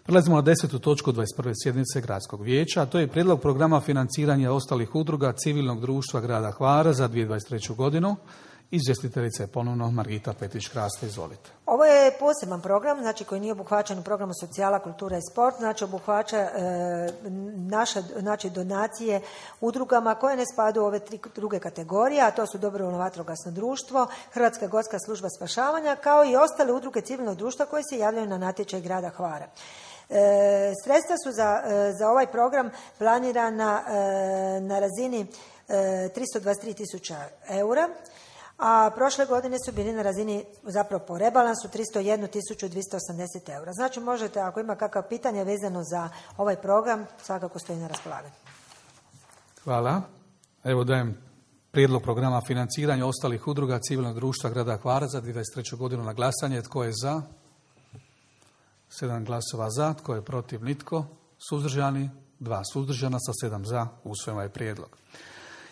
Prelazimo na 10. točku 21. sjednice Gradskog vijeća, a to je prijedlog programa financiranja ostalih udruga civilnog društva grada Hvara za 2023. godinu. Izvjestiteljica je ponovno Margita Petrić-Kraste, izvolite. Ovo je poseban program, znači koji nije obuhvaćen u programu socijala, kultura i sport, znači obuhvaća naše donacije udrugama koje ne spadaju u ove tri druge kategorije, a to su Dobrovoljno vatrogasno društvo, Hrvatska gorska služba spašavanja, kao i ostale udruge civilnog društva koje se javljaju na natječaj grada Hvara. Sredstva su za ovaj program planirana na razini 323.000 eura, a prošle godine su bili na razini, zapravo po rebalansu, 301.280 eura. Znači možete, ako ima kakva pitanja vezano za ovaj program, svakako stoji na raspolaganju. Hvala. Evo dajem prijedlog programa financiranja ostalih udruga civilnog društva grada Hvara za 2023. godinu na glasanje. Tko je za? 7 glasova za. Tko je protiv? Nitko. Suzdržani? 2 suzdržana sa 7 za. Usvojeno je prijedlog.